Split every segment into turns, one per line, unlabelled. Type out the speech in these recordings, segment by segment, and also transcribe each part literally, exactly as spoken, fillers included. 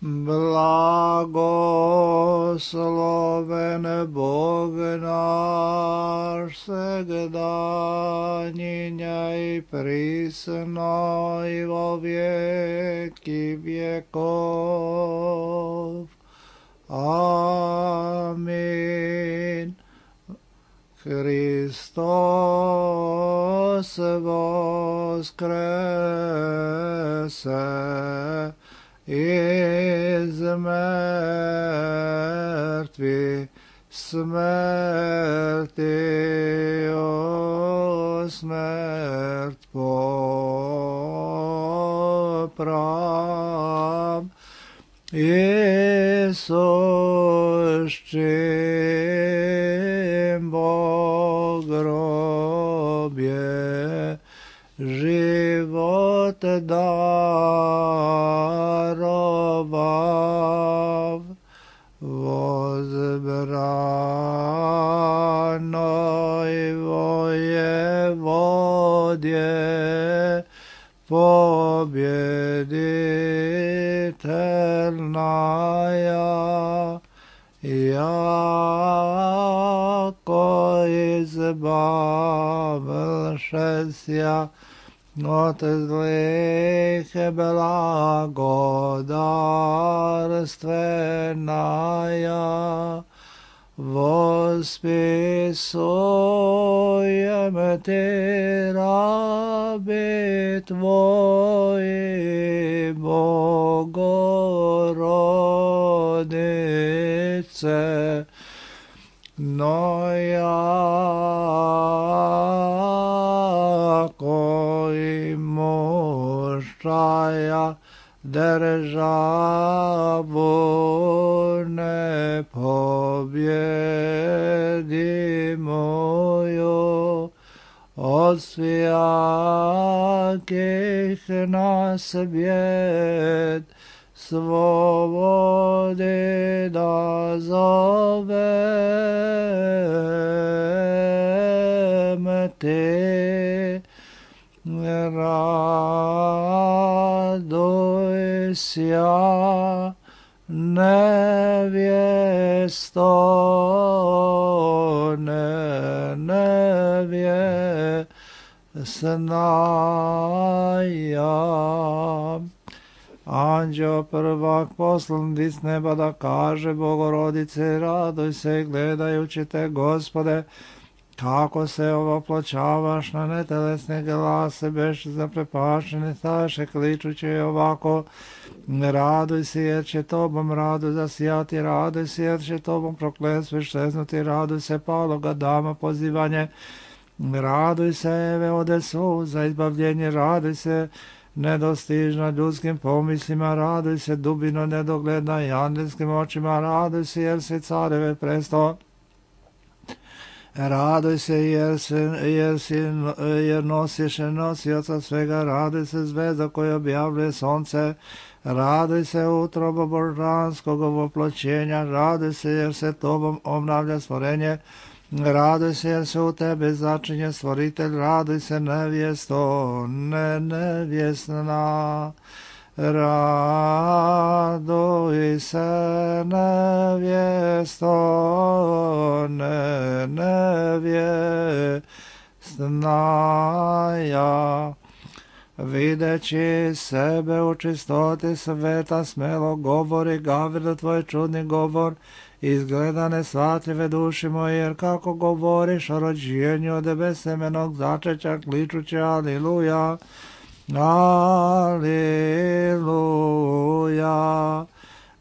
Blagosloven Bog naš, segda njinja i prisno i vo vijeki vjekov. Amin. Hristos voskrese iz mrtvih, smrti o smrt poprav. Isus čim Bog grobje život darovav, vozbranoj vojevodje pobjeditelnaja, jako izbavlšesja od zlih blagodarstvenaja, vospisujem ti rabi tvoji, Bogorodice, no jako i mušaja državu ne pobjedi moju, od svijakih nas bjed svobodi da zovem te. Raduj sja, nevjesto, ne nevjesnaja. Anđeo prvak poslan dis neba da kaže Bogorodice, raduj se gledajući te, Gospode, kako se ovoploćavaš na netelesne glase, beš zaprepašene staše, kličući ovako, raduj se jer će tobom radu zasijati, raduj se jer će tobom prokletstvo šeznuti, raduj se paloga dama pozivanje, raduj se Eve ode suza izbavljenje, raduj se nedostižna ljudskim pomislima, raduj se dubino nedogledna i angelskim očima, raduj se jer se careve presto. Raduj se jer, se, jer, si, jer nosiš nosioca svega, raduj se zvezda koja objavljuje sonce, raduj se utrobo božanskog ovoploćenja, raduj se jer se tobom obnavlja stvorenje, raduj se jer se u tebe začinje stvoritelj, raduj se nevjesto, ne nevjesna. Raduj se nevjesto, ne nevjesnaja. Videći sebe u čistoti sveta, smelo govori Gavrilo tvoj čudni govor, izgleda nesvatljive duši moje, jer kako govoriš o rođenju od besemenog začeća, kličući aliluja, aliluja.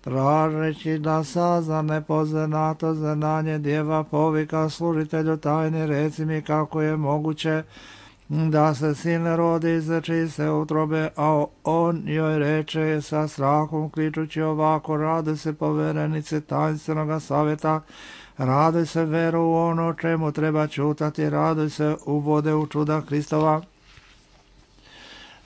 Tražeći da sazna nepoznato znanje, djeva povika služitelju tajni, reci mi kako je moguće da se sin rodi iz čiste utrobe, a on joj reče sa strahom kličući ovako, raduj se poverenice tajnstvenog savjeta, raduj se veru u ono čemu treba čutati, raduj se uvode u čuda Hristova.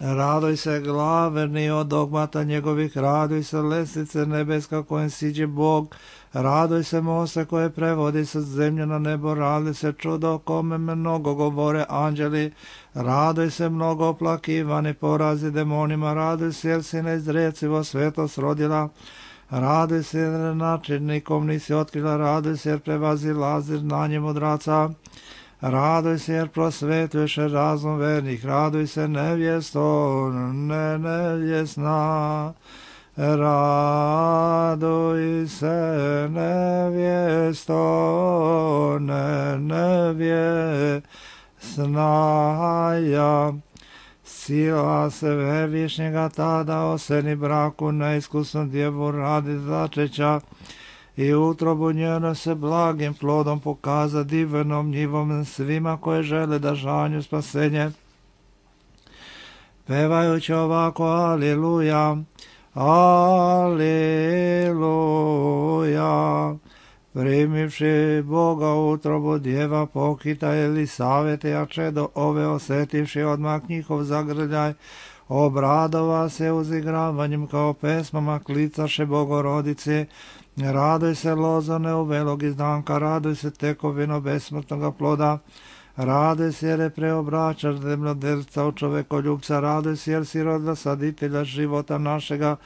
Raduj se glavni od dogmata njegovih, raduj se lestvice nebeska kojem siđe Bog, raduj se mosta koje prevodi sa zemlje na nebo, raduj se čudo o kome mnogo govore anđeli, raduj se mnogo oplakivani porazi demonima, raduj se jer si neizrecivo svetost rodila, Raduj se jer načinnikom nisi otkrila, raduj se jer prevazilazi znanje mudraca. Raduj se jer prosvetljuješ razum vernih, raduj se nevjesto, ne nevjesna. Raduj se nevjesto, ne nevjesnaja. Sila se Svevišnjega tada oseni braku neiskusnom djevu radi začeća i utrobu njeno se blagim plodom pokaza divnom njivom svima koje žele da žanju spasenje. Pevajući ovako aliluja, aliluja. Primivši Boga u utrobu djeva pokita Elisavete, a čedo ove osetivši odmah njihov zagrljaj, obradova se uzigravanjem kao pesmama klicaše Bogorodice. Raduj se lozane u velog izdanka, raduj se tekovino besmrtnoga ploda, raduj se jer je preobračaš zemljodelca u čovekoljubca, raduj se jer si rodila saditelja života našega,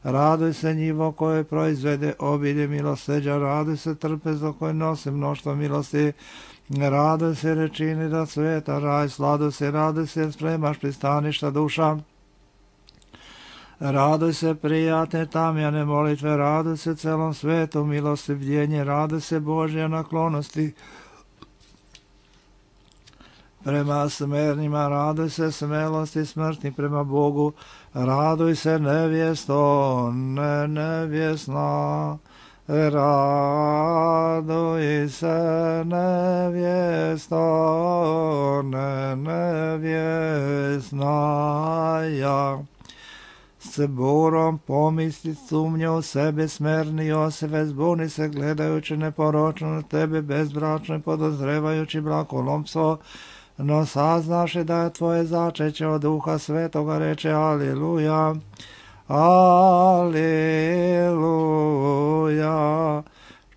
raduj se njivo koje proizvede obilje milosrđa, raduj se trpezo koje nosi mnoštvo milosti, raduj se jer čini da sveta raj, sladuj se, raduj se jer spremaš pristaništa duša. Raduj se prijatne tamjane molitve, raduj se celom svetu milostivljenje, raduj se Božja naklonosti prema smernima, raduj se smelosti smrtni prema Bogu, raduj se nevjesto, ne nevjesna, raduj se nevjesto, ne nevjesnaja. S burom pomisli sumnje u sebe smerni Josife, zbuni se gledajući neporočno na tebe bezbračno i podozrevajući brakolomstvo, no saznaše da je tvoje začeće od Duha Svetoga, reče aliluja, aliluja.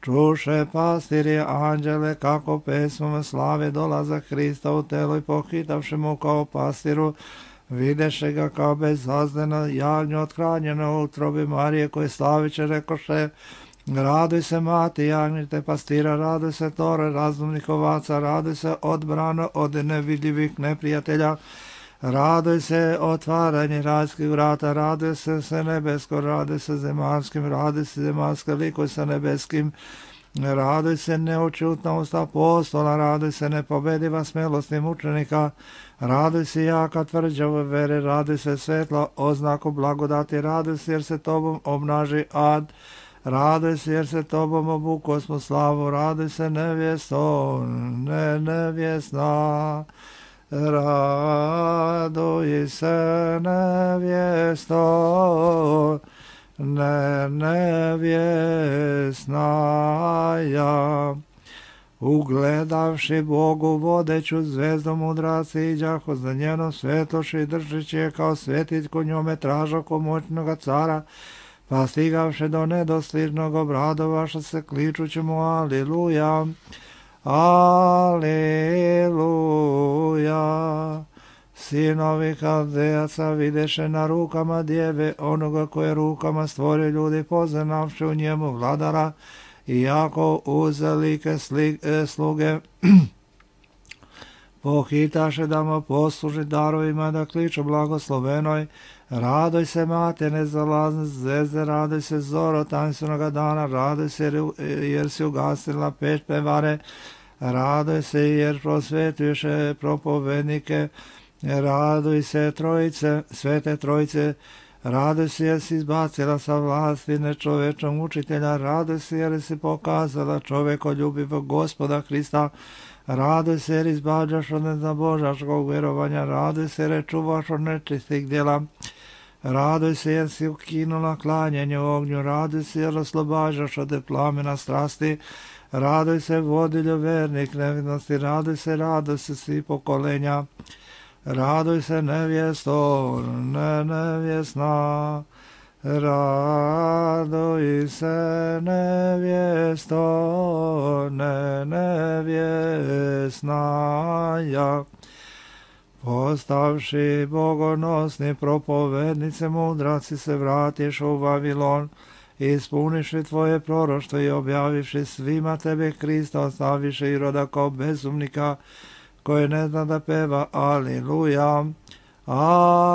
Čuše pastiri anđele kako pesmom slave dolaza Hrista u telo i pohitavši mu kao pastiru, videše ga kao bezazdeno jagnje othranjeno u utrobi Marije koje slaviće, rekoše, raduj se mati jagnjite pastira, raduj se tore razumnih ovaca, raduj se odbrano od nevidljivih neprijatelja, raduj se otvaranje rajskih vrata, raduj se se nebesko, raduj se zemaljskim, raduj se zemaljska likuj sa nebeskim, raduj se neočutna usta apostola, raduj se nepobediva smelostim učenika, raduj se jaka tvrđava vere, raduj se svetla oznaku blagodati, raduj se jer se tobom obnaži ad, raduj se jer se tobom obuko smo slavu, raduj se nevjesto, ne nevjesna, raduj se nevjesto, ne nevjesnaja. Ugledavši Bogu vodeću zvezdu mudraci iđaho za njenom svetoši, držeći je kao svetić ko njome tražako moćnoga cara, pa stigavše do nedostižnog obradovaša se kličući mu aliluja, aliluja. Sinovi Kaldejaca videše na rukama djeve onoga koje rukama stvori ljudi, poznavši u njemu vladara, iako uzalike sluge pohitaše da mu posluži darovima da kliču blagoslovenoj, raduj se mate nezalazne zvezde, raduj se zoro tanstvenoga dana, raduj se jer si ugasila peć pevare, raduj se jer prosvetuješ propovednike, raduj se trojice, svete trojice, raduj se jer si izbacila sa vlasti nečovečnog učitelja, raduj se jer si pokazala čovekoljubivog Gospoda Hrista, raduj se jer izbađaš od nezabožačkog vjerovanja, raduj se jer čuvaš od nečistih djela, raduj se jer si ukinula klanjanje u ognju, raduj se jer oslobađaš od plamena strasti, raduj se vodilju vernih nevinosti, raduj se, raduj se svi pokolenja, raduj se nevjesto, ne nevjesna, raduj se nevjesto, ne nevjesnaja. Postavši bogonosni propovednice mudraci se vratiš u Vavilon ispuniši tvoje proroštvo i objavivši svima tebe Krista, ostaviše i roda kao bezumnika, koji ne zna da peva. Aliluja, aliluja.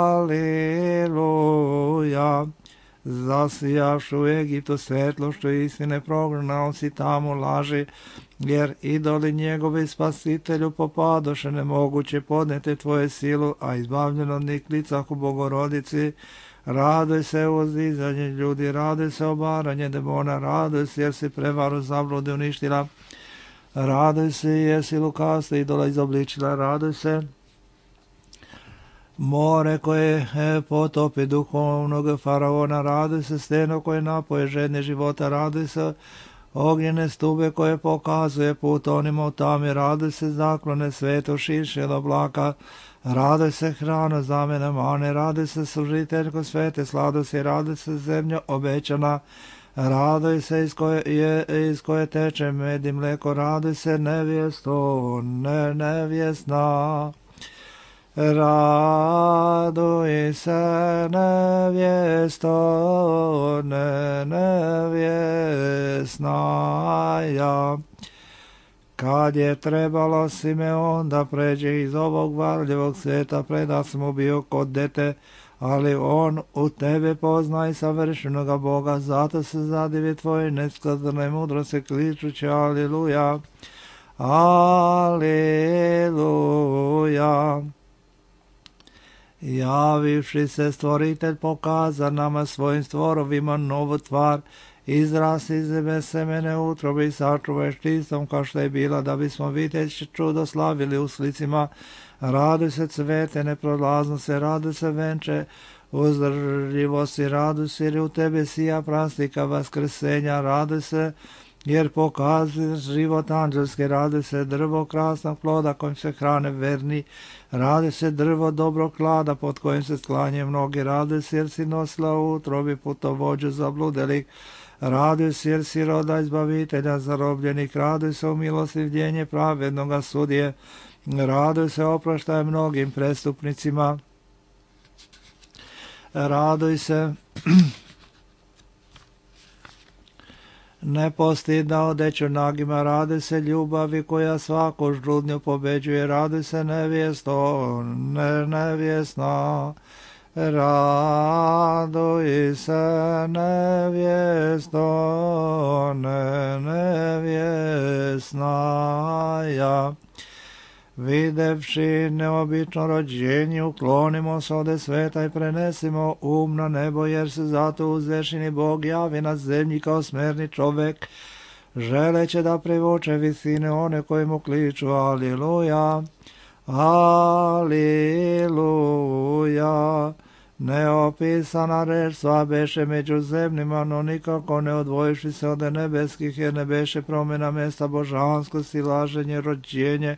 Zasijavši u Egiptu svetlošću istine, prognao si tamo laži, jer idoli njegovi spasitelju popadoše, nemoguće podneti tvoje silu, a izbavljeno od njih licah u Bogorodici. Raduj se uzdizanje ljudi, raduj se obaranje demona, raduj se jer si prevaru zablude uništila, raduj se jer si lukavstvo idola izobličila, raduj se more koje potopi duhovnog faraona, raduj se steno koje napoje žedne života, raduj se ognjene stube koje pokazuje put onima u tami, raduj se zaklone sveto šiše od oblaka, raduj se hrana zamene mane, raduj se služiteljko svete sladosti, raduj se zemlja obećana, raduj se iz koje, je, iz koje teče med i mleko, raduj se nevjesto, ne nevjesna. Raduj se nevjesto, ne nevjesnaja. Kad je trebalo Simeon da pređe iz ovog varljivog svijeta, predat sam mu bio kod dete, ali on u tebe pozna i savršenoga Boga, zato se zadivi tvoje neskazane mudrosti, kličući aliluja, aliluja. Javivši se stvoritelj pokaza nama svojim stvorovima novu tvar, izrasti iz zeme semene utrobi i sačuvaj čistom kao što je bila, da bismo vidjeći čudo slavili u slicima. Raduj se cvete neprolaznosti, raduj se venče uzdržljivosti, raduj se jer u tebi sija prastika vaskrsenja, raduj se jer pokazuje život anđelski, raduj se drvo krasnog ploda kojim se hrane verni, raduj se drvo dobrog klada pod kojim se sklanje mnogi, raduj se jer si nosila u utrobi putovođu zabludelih, raduj se jer si roda izbavitelja zarobljenih, raduj se u milostivljenje pravednoga sudije, raduj se oproštaj mnogim prestupnicima, raduj se nepostidna odeću nagima, raduj se ljubavi koja svaku žudnju pobeđuje, raduj se nevjesto, ne nevjesna, raduj se nevjesto, ne nevjesnaja. Videvši neobično rođenje, uklonimo se ode sveta i prenesimo um na nebo, jer se zato uzvešeni Bog javi na zemlji kao smerni čovek, želeće da privuče visine one koji mu kliču aliluja, aliluja. Neopisana reč sva beše među zemljima, no nikako ne odvojiši se od nebeskih, jer ne beše promjena mesta božanskosti, laženje, rođenje,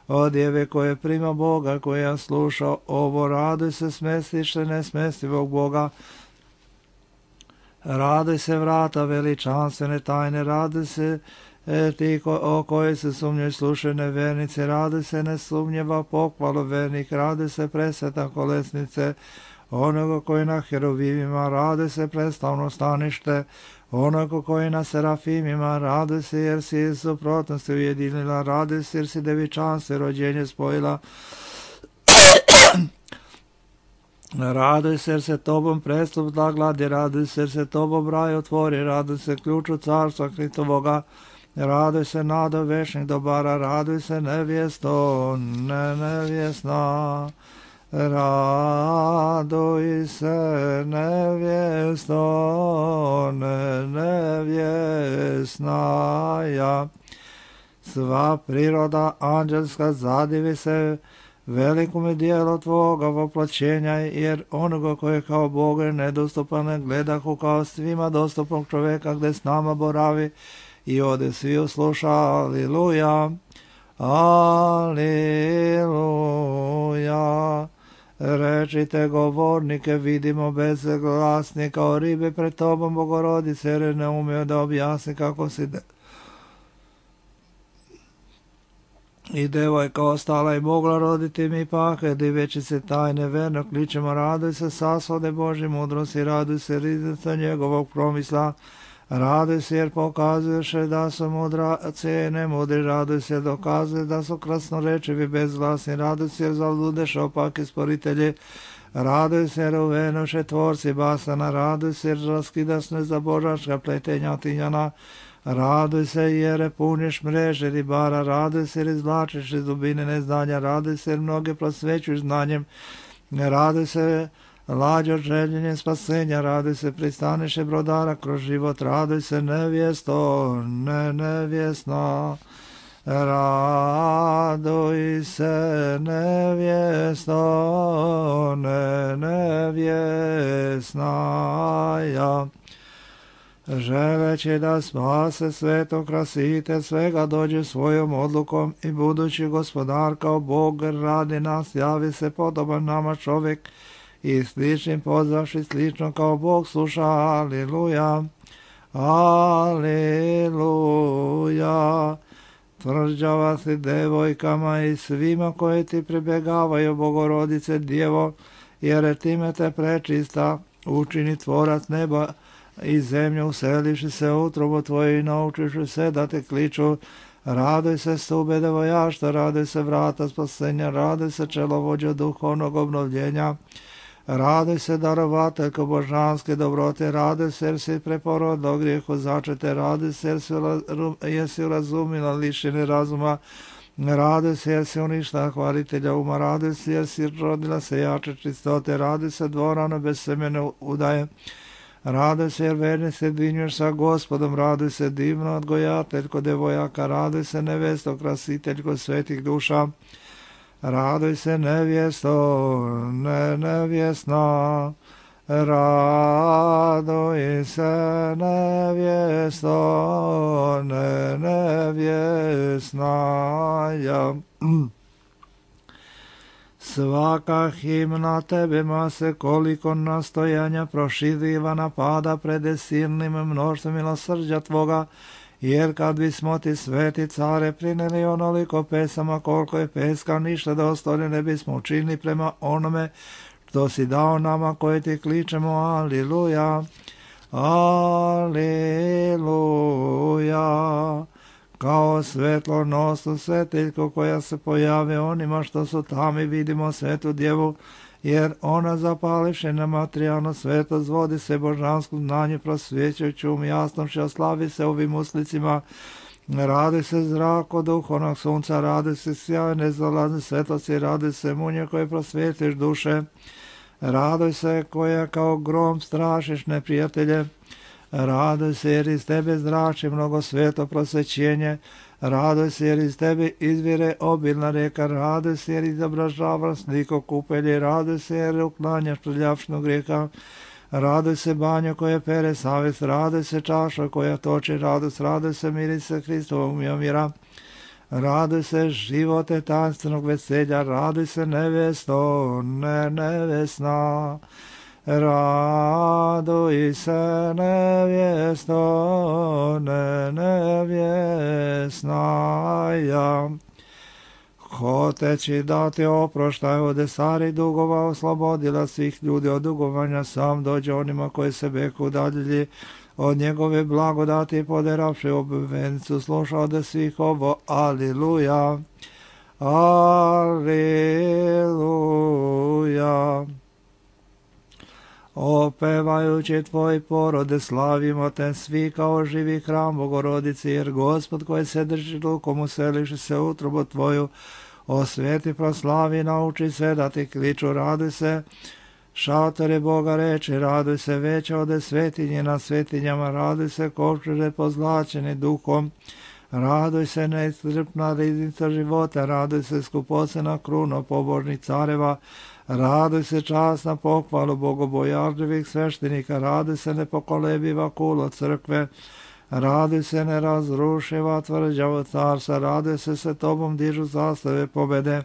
odjeve koje prima Boga, koja sluša ovo, raduj se smestiše nesmestivog Boga, raduj se vrata veličanstvene tajne, raduj se e, ti ko, o kojoj se sumnjoj slušaju nevernice, raduj se nesumnjeva pohvalu vernih, raduj se presveta kolesnice onoga koji na heruvimima, raduj se predstavno stanište onoga koji na serafimima, raduj se jer si suprotnosti ujedinila, raduj se jer si devičanstvo rođenje spojila, raduj se jer se tobom prestup zagladi, raduj se jer se tobom raj otvori, raduj se ključu carstva Hristovoga, raduj se nado večnih dobara, raduj se nevjesto, ne nevjesna, raduj se nevjesto, ne nevjesnaja. Sva priroda anđelska zadivi se velikome dijelu tvoga voplaćenja, jer onoga koje kao Boga je nedostupan gledahu kao svima dostupnog čoveka gde s nama boravi i ode svi usluša aliluja, aliluja. Rečite govornike, vidimo bezglasni kao ribe pred tobom, Bogorodice, jer ne umiju da objasni kako si de... i devojka ostala i mogla roditi, mi pak, diveći se tajne verno, kličemo, raduj se sasvode Božje mudrosti, raduj se riznica njegovog promisla, raduj se jer pokazuješ da su mudraci i nemudri, raduj se dokazuje da su krasnorečivi bezglasni, raduj se jer zaludeš opaki sporitelji, raduj se jer uvenoše tvorci basana, raduj se jer raskidaš nezabožačka pletenja tinjana, raduj se jer puniš mreže ribara, raduj se jer izvlačiš iz dubine neznanja, raduj se jer mnoge prosvećuješ znanjem, raduj se lađo željenje spasenja, raduj se pristaniše brodara kroz život, raduj se nevjesto, ne nevjesna, raduj se nevjesto, ne nevjesna ja. Želeći da spase sveto krasite svega dođe svojom odlukom i budući gospodar kao Bog radi nas, javi se podoban nama čovjek i sličnim pozvavši slično kao Bog sluša, aliluja, aliluja. Tvrđava si devojkama i svima koji ti pribjegavaju, Bogorodice Djevo, jer time te prečista učini tvorac neba i zemlju, uselivši se u utrobu tvoju i naučiši se da te kliču. Raduj se stube devojašta, raduj se vrata spasenja, raduj se čelovođa duhovnog obnovljenja, raduj se darovateljko božanske dobrote, raduj se jer si preporodila grijehu začete, raduj se jer si, jer si urazumila lišine razuma, raduj se jer si uništila hvalitelja uma, raduj se jer si rodila sejače čistote, raduj se dvorano bez semene udaje, raduj se jer verni se dinjuješ sa Gospodom, raduj se divno odgojateljko devojaka, raduj se nevesto krasiteljko svetih duša, raduj se nevjesto, ne nevjesna, raduj se nevjesto, ne nevjesna ja. Svaka himna tebe mase koliko nastojanja proširiva napada pred silnim mnoštvom milosrđa tvoga, jer kad bismo ti sveti care prineli onoliko pesama koliko je peska, ništa dostojno ne bismo učinili prema onome što si dao nama koji ti kličemo, aliluja, aliluja. Kao svetlo nosu svetiljko koja se pojave onima što su tamo i vidimo svetu djevu, jer ona zapalivši na materijalno sveto zvodi se božansku znanje prosvjećujući um jasnošću, a slavi se ovim uslicima. Radi se zrak od duhovnog sunca, radi se sjaj nezalazne svetlosti, radi se munje koje prosvjetiš duše, raduj se koja kao grom strašiš neprijatelje, raduj se jer iz tebe zrači mnogo sveto prosvećenje, raduj se jer iz tebe izvire obilna reka, raduj se jer izobražava sliko kupelje, raduj se jer uklanjaš prljavšnog grijeha, raduj se banjo koje pere savjest, raduj se čaša koja toči radost, raduj se mirise Hristovog mira, raduj se živote tajnstvenog veselja, raduj se nevjesto, ne nevjesna, raduj se nevjesto, ne nevjesna ja. Hoteći dati oproštaj od starih dugova, oslobodila svih ljudi od dugovanja, sam dođe onima koji se beku udaljili od njegove blagodati i poderavši obvenicu, sluša od svih ovo, aliluja, aliluja. Opevajući tvoj porode, slavimo te svi kao živi hram Bogorodici, jer Gospod koji se drži rukom useliši se utrobu tvoju, osveti, proslavi, nauči se da ti kliču, raduj se, šatore Boga reči, raduj se veća ode svetinje na svetinjama, raduj se kovčeže pozlačeni duhom, raduj se neiscrpna riznica života, raduj se skupocena kruna pobožnih careva, raduj se čast na pohvalu bogobojažljivih sveštenika, raduj se nepokolebiva kulo crkve, raduj se nerazrušiva tvrđava carstva, raduj se se tobom dižu zastave pobede,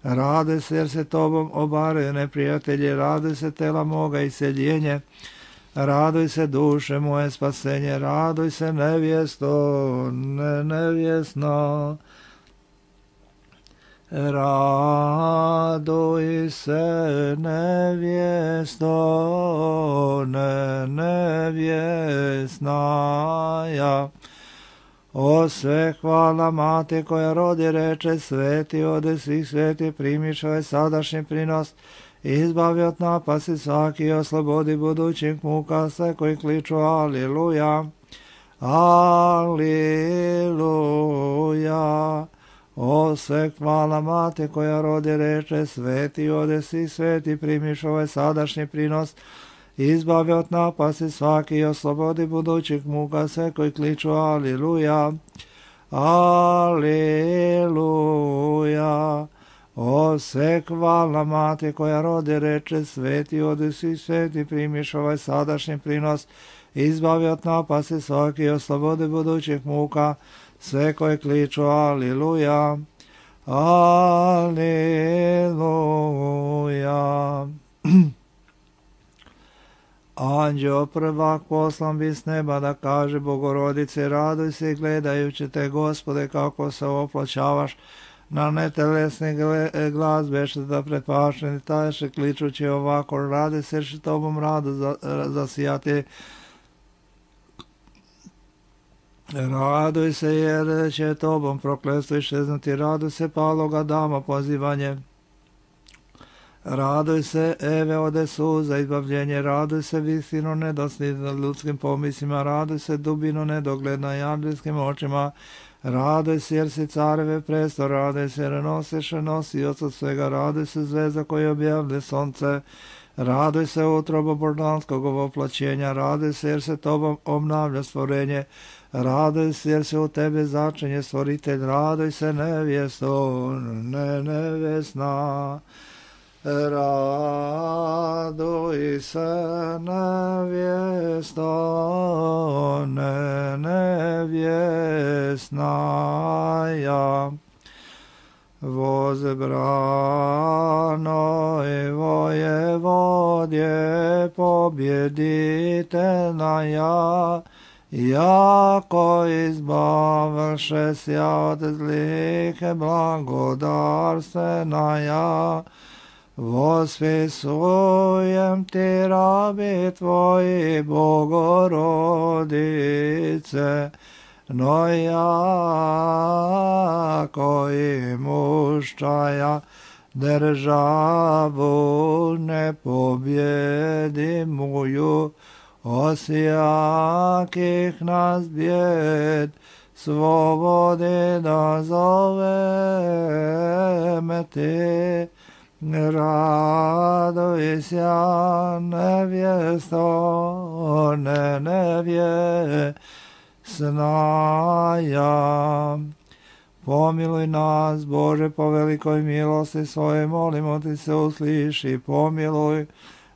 raduj se jer se tobom obaraju neprijatelji, raduj se tela moga iseljenje, raduj se duše moje spasenje, raduj se nevjesto, ne nevjesno, Raduj se, nevjesto, ne nevjesnaja. O sve hvala mati koja rodi reče, sveti ode svih sveti, primiš ovaj sadašnji prinos, izbavi od napasti svaki i oslobodi budućih muka sve koji kliču aliluja, aliluja. O sve hvala mati koja rodi reče, sveti ode svih sveti, primiš ovaj sadašnji prinos, izbavi od napasti svaki i oslobodi budućih muka sve koji kliču aliluja, aliluja. O sve hvala mati koja rodi reče, sveti ode svih sveti, primiš ovaj sadašnji prinos, izbavi od napasti svaki i oslobodi budućih muka sve koji kliču aliluja, aliluja. Anđeo prvak poslan bi s neba da kaže Bogorodice, raduj se gledajući te, Gospode, kako se opločavaš na netelesni glas, beše da prepašeni taješe, kličući ovako, radi se što tobom rado zasijati. Raduj se jer će tobom prokletstvo iščeznuti, raduj se paloga dama pozivanje. Raduj se, Eve, ode suza izbavljenje, raduj se visino nedostižno ljudskim pomislima, raduj se dubino nedogled na janđelskim očima, raduj se jer si careve presto, raduj se jer nosiš nosioc od svega, raduj se zvezda koja objavlja sonce, raduj se utrobo božanskog ovoplaćenja, raduj se jer se tobom obnavlja stvorenje, raduj se jer se u tebe začinje stvoritelj, raduj se nevjesto, ne nevjesna. Raduj se nevjesto, ne nevjesnaja. Возбрано и воеводje победительная, яко избавивши ся от злих благодарственная, возвесуем ти, раби твои, Богородице, но яко имущая державу непобедимую, от всяких нас бед свободы назовем ти. Радуйся, невесто, не невесная. Помилуй нас, Боже, по великой милости Своей, молимо Ти се, услыши, помилуй.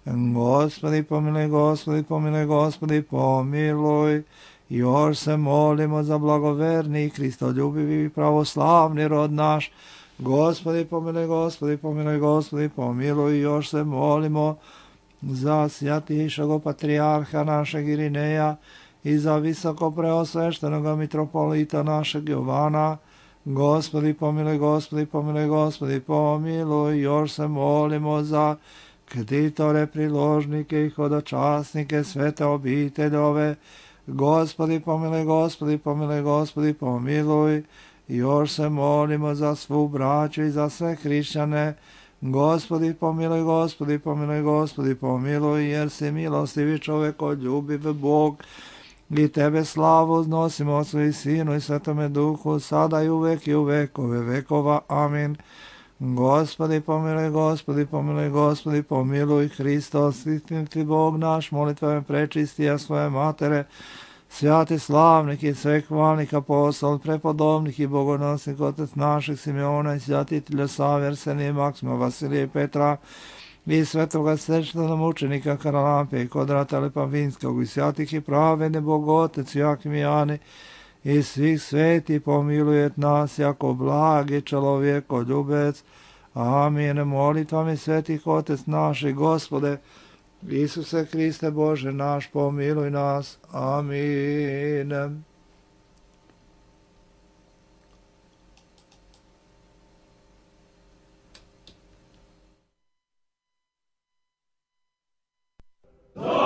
Господи, помилуй, Господи, помилуй, Господи, помилуй. Još se molimo za blagoverni, kristoljubivi i pravoslavni rod naš. Gospodi, pomiloj, Gospodi, pomiloj, Gospodi, pomiluj. Još se molimo za svjatišeg patrijarha našeg Irineja i za visoko preosveštenog mitropolita našeg Jovana. Gospodi, pomiloj, Gospodi, pomiloj, Gospodi, pomiluj. Još se molimo za ktitore, priložnike i hodočasnike svete obiteljove. Gospodi, pomiloj, Gospodi, pomiloj, Gospodi, pomiluj. Još se molimo za svu braću i za sve hrišćane. Gospodi, pomiloj, Gospodi, pomiloj, Gospodi, pomiluj, jer si milostivi čovekoljubiv Bog. I tebe slavu uznosimo Otcu i Sinu i Svetome Duhu, sada i uvek i u vekove vekova. Amin. Gospodi, pomiloj, Gospodi, pomiloj, Gospodi, pomiluj. Hristos, istiniti Bog naš, molitvama prečisti, a svoje matere, svjati slavnik i svehvalnik apostol, prepodobnik i bogonosnik, otec naših Simeona i svjatitelja Save, Arsenija, Maksima, Vasilija i Petra, i svetoga svečanog mučenika Karalampe i Kodrata Lepavinskog, i svjatih i pravedni Bogotec, Jakim i Jani, i svih sveti pomilujet nas, jako blagi čelovjeko ljubec. Amin. Molitvami svetih Otec naši, Gospode, Isuse Hriste Bože naš, pomiluj nas. Amin.
Amen.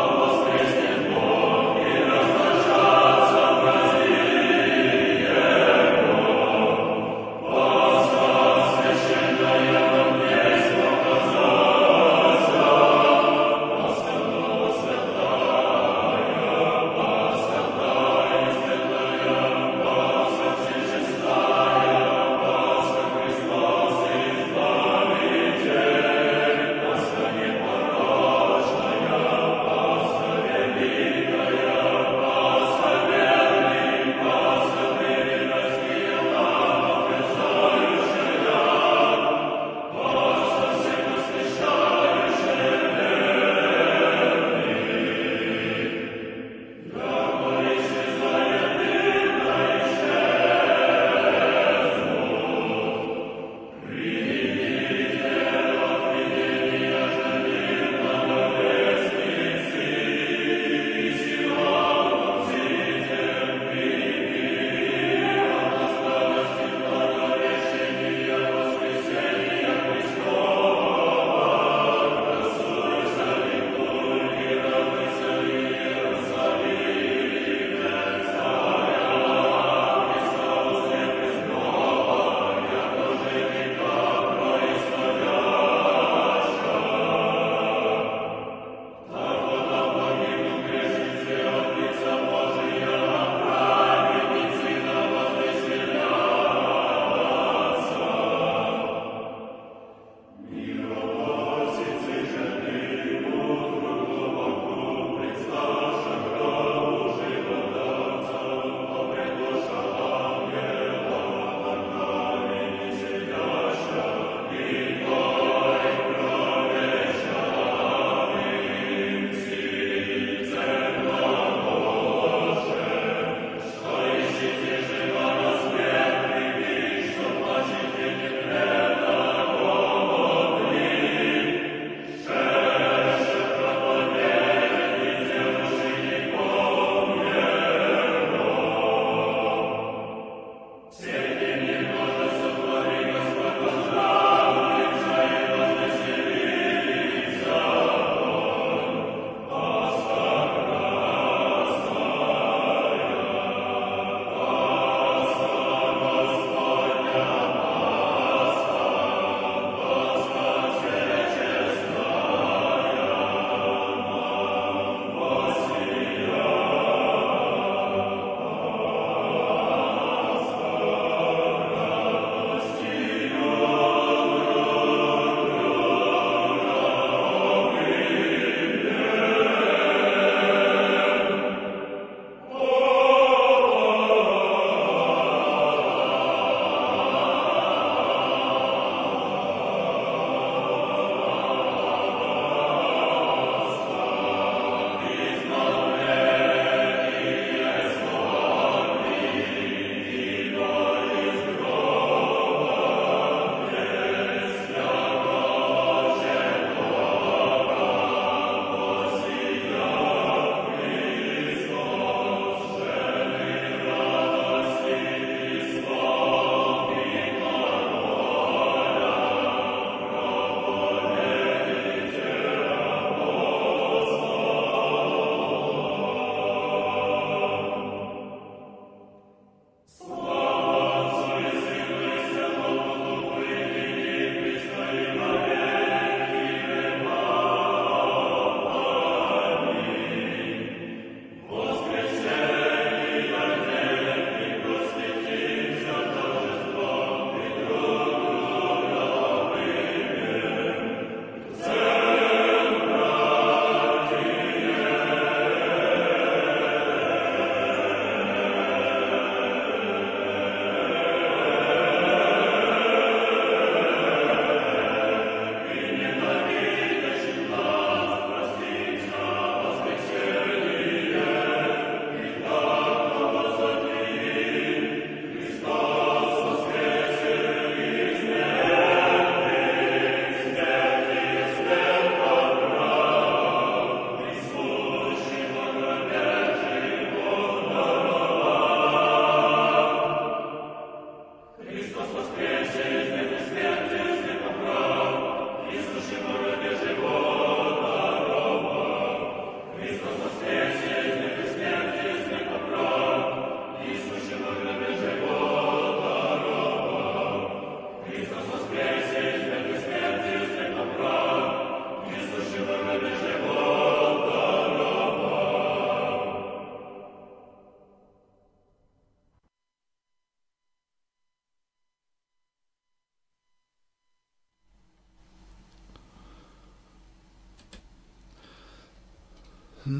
O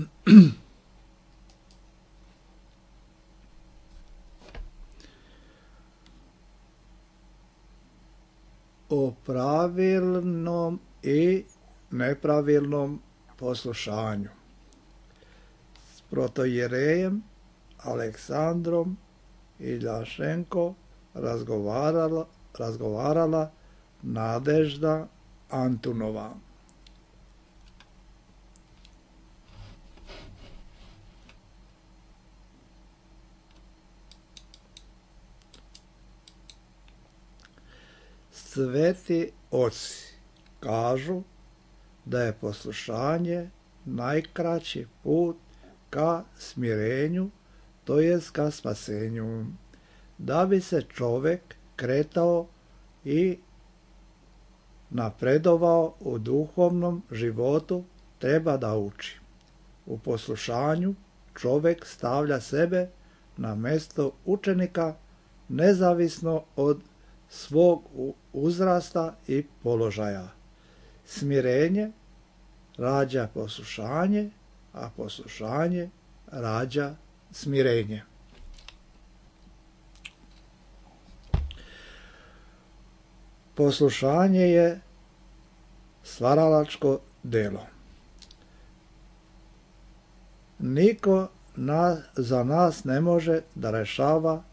pravilnom i nepravilnom poslušanju. S protojerejem Aleksandrom Iljašenko razgovarala, razgovarala Nadežda Antunova. Sveti oci kažu da je poslušanje najkraći put ka smirenju, to jest ka spasenju. Da bi se čovjek kretao i napredovao u duhovnom životu, treba da uči. U poslušanju čovjek stavlja sebe na mjesto učenika nezavisno od svog uzrasta i položaja. Smirenje rađa poslušanje, a poslušanje rađa smirenje. Poslušanje je stvaralačko delo. Niko na, za nas ne može da rešava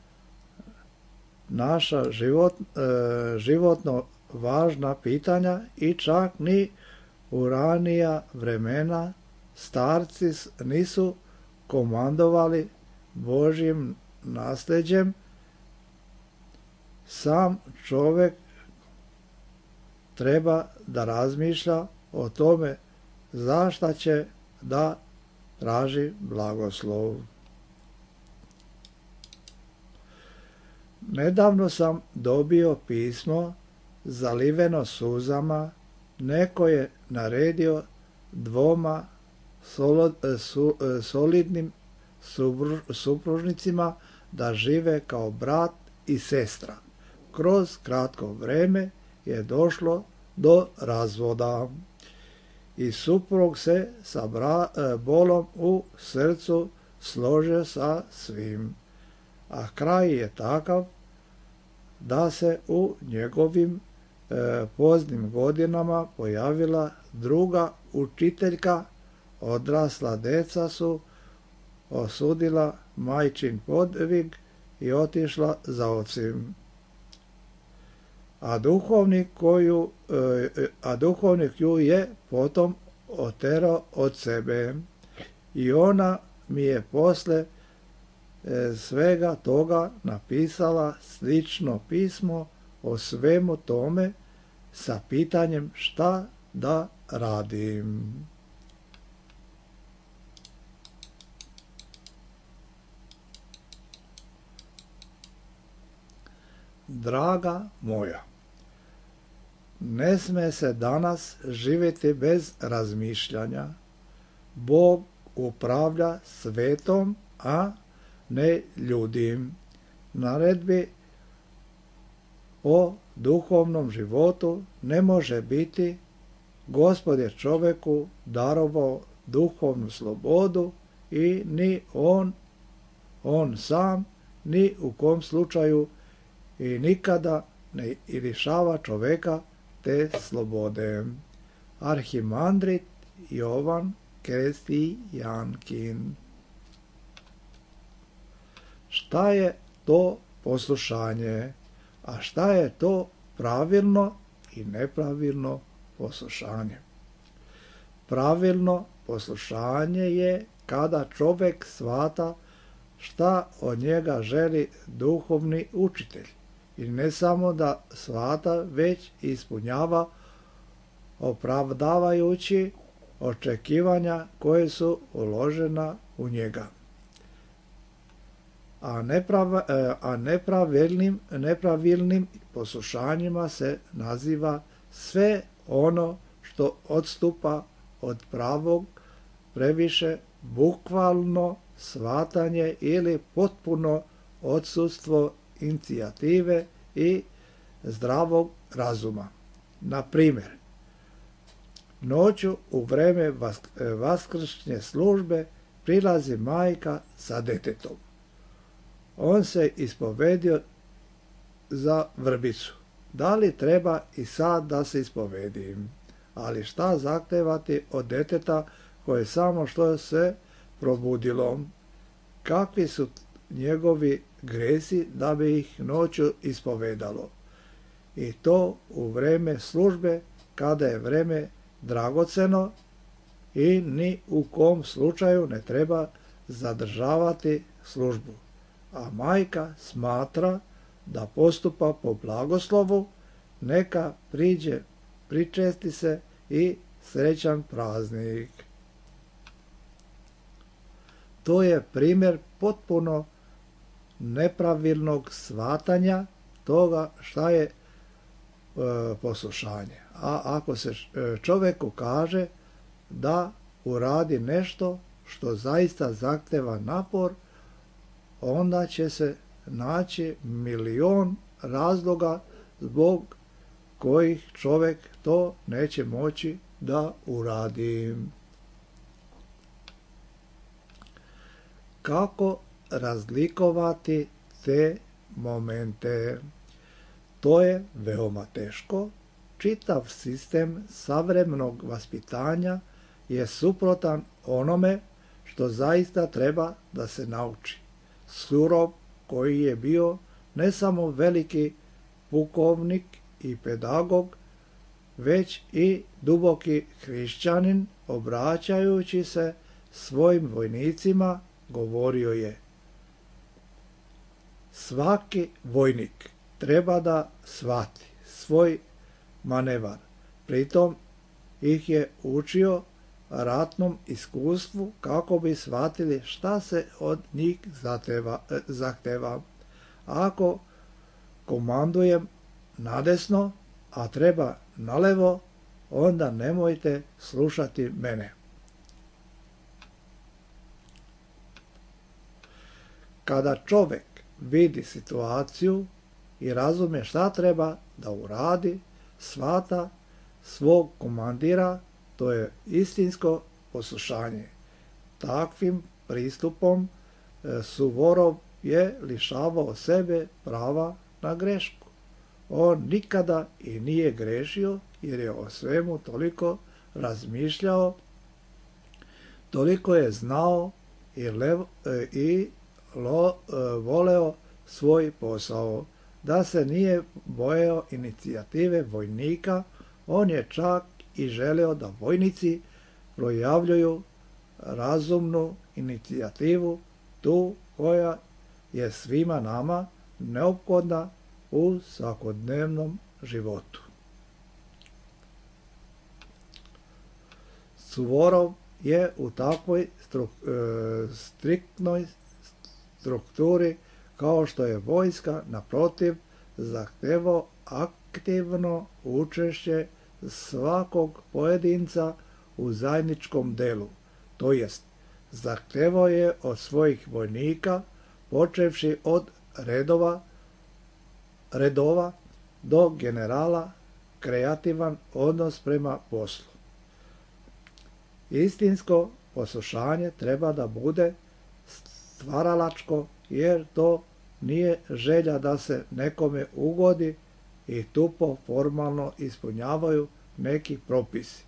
naša život, e, životno važna pitanja i čak ni u ranija vremena starci nisu komandovali Božjim nasljeđem. Sam čovjek treba da razmišlja o tome zašta će da traži blagoslov. Nedavno sam dobio pismo zaliveno suzama. Neko je naredio dvoma solo, su, solidnim supružnicima da žive kao brat i sestra. Kroz kratko vreme je došlo do razvoda i suprug se sa bra, bolom u srcu složio sa svim, a kraj je takav da se u njegovim e, poznim godinama pojavila druga učiteljka. Odrasla deca su osudila majčin podvig i otišla za ocem. A duhovnik, koju, e, a duhovnik ju je potom oterao od sebe. I ona mi je posle svega toga napisala slično pismo o svemu tome sa pitanjem šta da radim. Draga moja, ne sme se danas živjeti bez razmišljanja. Bog upravlja svetom, a ne ljudim. Naredbi o duhovnom životu ne može biti. Gospod je čovjeku darovao duhovnu slobodu i ni on, on sam, ni u kom slučaju i nikada ne lišava čovjeka te slobode. Arhimandrit Jovan Krestijankin. Šta je to poslušanje, a šta je to pravilno i nepravilno poslušanje? Pravilno poslušanje je kada čovjek shvata šta od njega želi duhovni učitelj i ne samo da shvata, već ispunjava opravdavajući očekivanja koje su uložena u njega. A, neprav, a nepravilnim, nepravilnim poslušanjima se naziva sve ono što odstupa od pravog, previše bukvalno shvatanje ili potpuno odsustvo inicijative i zdravog razuma. Na primjer, Noću u vreme vaskršnje službe prilazi majka sa detetom. On se ispovedio za vrbicu. Da li treba i sad da se ispovedim? Ali šta zahtevati od deteta koje samo što se probudilo? Kakvi su njegovi gresi da bi ih noću ispovedalo? I to u vreme službe, kada je vreme dragoceno i ni u kom slučaju ne treba zadržavati službu. A majka smatra da postupa po blagoslovu, neka priđe, pričesti se i srećan praznik. To je primjer potpuno nepravilnog shvatanja toga šta je e, poslušanje. A ako se čovjeku kaže da uradi nešto što zaista zahteva napor, onda će se naći milion razloga zbog kojih čovjek to neće moći da uradi. Kako razlikovati te momente? To je veoma teško. Čitav sistem savremenog vaspitanja je suprotan onome što zaista treba da se nauči. Surov, koji je bio ne samo veliki pukovnik i pedagog, već i duboki hrišćanin, obraćajući se svojim vojnicima, govorio je: svaki vojnik treba da shvati svoj manevar. Pritom ih je učio ratnom iskustvu kako bi shvatili šta se od njih zahteva. Ako komandujem nadesno, a treba nalevo, onda nemojte slušati mene. Kada čovjek vidi situaciju i razumije šta treba da uradi, shvata svog komandira, to je istinsko poslušanje. Takvim pristupom Suvorov je lišavao sebe prava na grešku. On nikada i nije grešio jer je o svemu toliko razmišljao, toliko je znao i, lev, i lo, voleo svoj posao, da se nije bojao inicijative vojnika. On je čak i želeo da vojnici projavljuju razumnu inicijativu, tu koja je svima nama neophodna u svakodnevnom životu. Suvorov je u takvoj struk, e, striktnoj strukturi kao što je vojska, naprotiv, zahtevao aktivno učešće svakog pojedinca u zajedničkom delu, to jest zahtevao je od svojih vojnika, počevši od redova, redova do generala, kreativan odnos prema poslu. Istinsko poslušanje treba da bude stvaralačko, jer to nije želja da se nekome ugodi i tupo formalno ispunjavaju neki propisi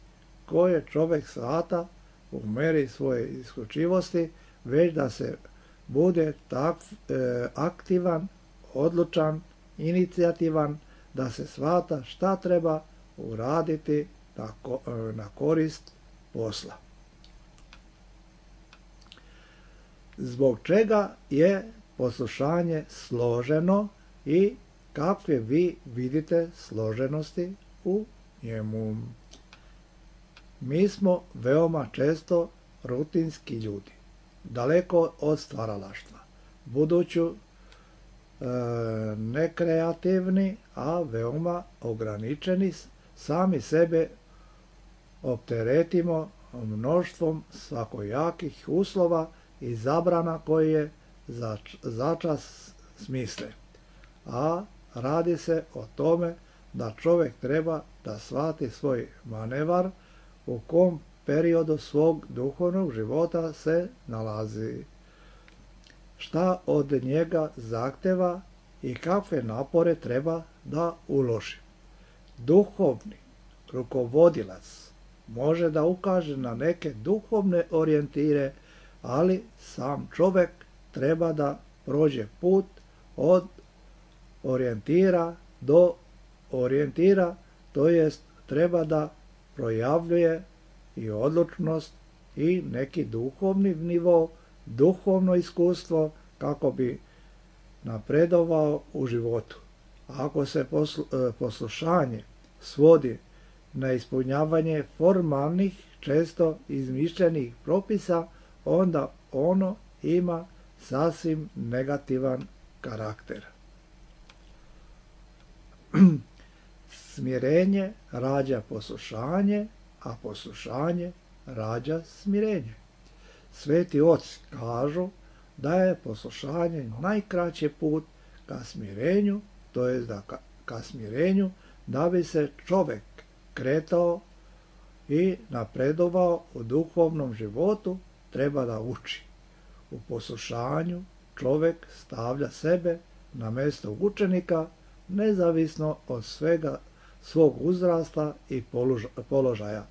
koje čovjek shvata u meri svoje isključivosti, već da se bude tak, e, aktivan, odlučan, inicijativan, da se shvata šta treba uraditi na, ko, e, na korist posla. Zbog čega je poslušanje složeno i kakve vi vidite složenosti u njemu? Mi smo veoma često rutinski ljudi, daleko od stvaralaštva, budući e, nekreativni, a veoma ograničeni, sami sebe opteretimo mnoštvom svakojakih uslova i zabrana koje začas smisle. A radi se o tome da čovjek treba da shvati svoj manevar u kom periodu svog duhovnog života se nalazi, šta od njega zahteva i kakve napore treba da uloži. Duhovni rukovodilac može da ukaže na neke duhovne orijentire, ali sam čovjek treba da prođe put od orijentira do orijentira, to jest treba da projavljuje i odlučnost i neki duhovni nivo, duhovno iskustvo kako bi napredovao u životu. Ako se poslušanje svodi na ispunjavanje formalnih, često izmišljenih propisa, onda ono ima sasvim negativan karakter. Smirenje rađa poslušanje, a poslušanje rađa smirenje. Sveti oci kažu da je poslušanje najkraći put ka smirenju, to je da ka, ka smirenju da bi se čovjek kretao i napredovao u duhovnom životu, treba da uči. U poslušanju čovjek stavlja sebe na mjesto učenika, nezavisno od svega svog uzrasta i položaja.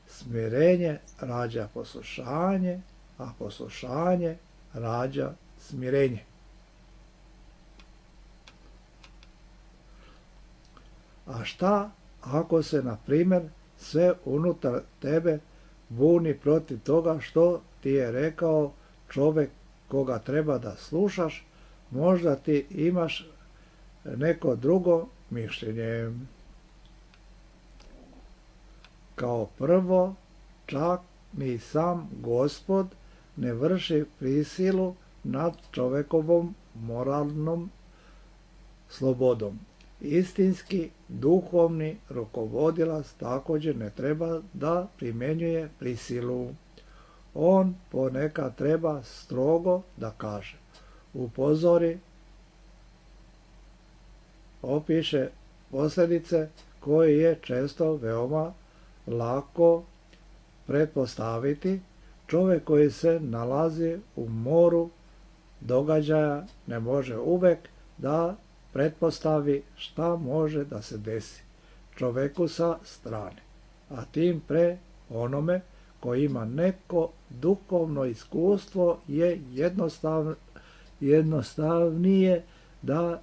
Smirenje rađa poslušanje, a poslušanje rađa smirenje. A šta ako se, na primjer, sve unutar tebe buni protiv toga što ti je rekao čovjek koga treba da slušaš, možda ti imaš neko drugo mišljenje. Kao prvo, čak ni sam Gospod ne vrši prisilu nad čovjekovom moralnom slobodom. Istinski duhovni rukovodilac također ne treba da primjenjuje prisilu. On ponekad treba strogo da kaže, upozori, opiše posljedice koje je često veoma lako pretpostaviti. Čovjek koji se nalazi u moru događaja ne može uvek da pretpostavi šta može da se desi čovjeku sa strane, a tim pre onome koji ima neko duhovno iskustvo je jednostav, jednostavnije da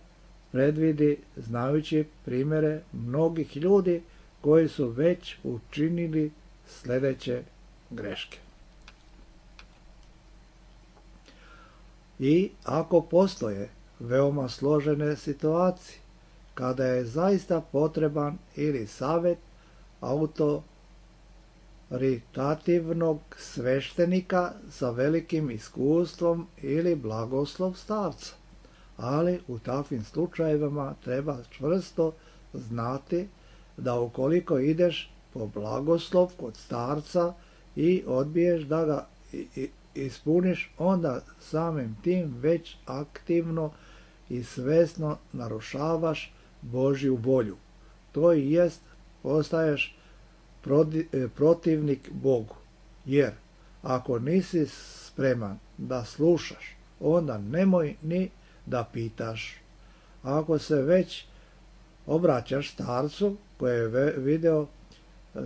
predvidi, znajući primjere mnogih ljudi koji su već učinili sljedeće greške. I ako postoje veoma složene situacije, kada je zaista potreban ili savjet autoritativnog sveštenika sa velikim iskustvom ili blagoslov starca, ali u takvim slučajevima treba čvrsto znati da ukoliko ideš po blagoslov kod starca i odbiješ da ga ispuniš, onda samim tim već aktivno i svesno narušavaš Božju volju. To i jest postaješ protivnik Bogu. Jer ako nisi spreman da slušaš, onda nemoj ni da pitaš. Ako se već obraćaš starcu koji je video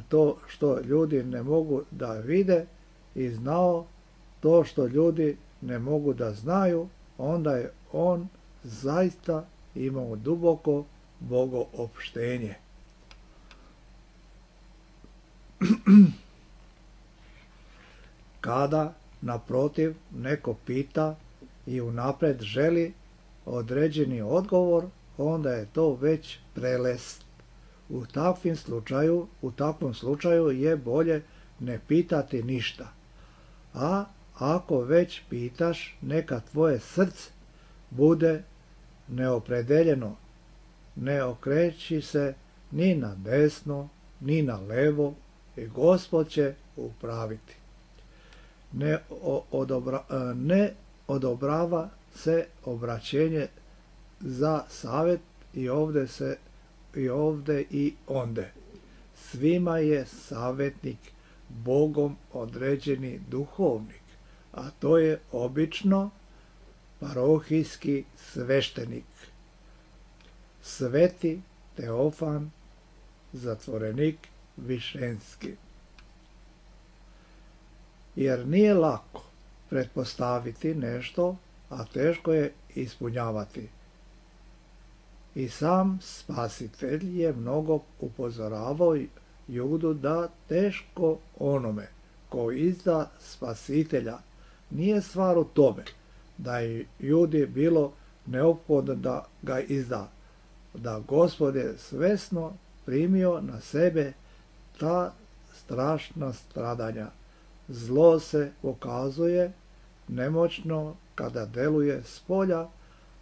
to što ljudi ne mogu da vide i znao to što ljudi ne mogu da znaju, onda je on zaista imao duboko bogoopštenje. Kada, naprotiv, neko pita i unapred želi određeni odgovor, onda je to već prelest. U takvim slučaju, u takvom slučaju je bolje ne pitati ništa. A ako već pitaš, neka tvoje srce bude neopredeljeno, ne okreći se ni na desno, ni na levo i Gospod će upraviti. Ne, odobra, ne odobrava se obraćenje za savjet i ovdje se i ovdje i onde. Svima je savjetnik Bogom određeni duhovnik, a to je obično parohijski sveštenik, Sveti Teofan, zatvorenik Višenski. Jer nije lako pretpostaviti nešto, a teško je ispunjavati. I sam Spasitelj je mnogo upozoravao Judu da teško onome ko izda Spasitelja nije stvar u tome da je Judi bilo neophodno da ga izda, da Gospod je svesno primio na sebe ta strašna stradanja. Zlo se pokazuje nemoćno kada deluje spolja,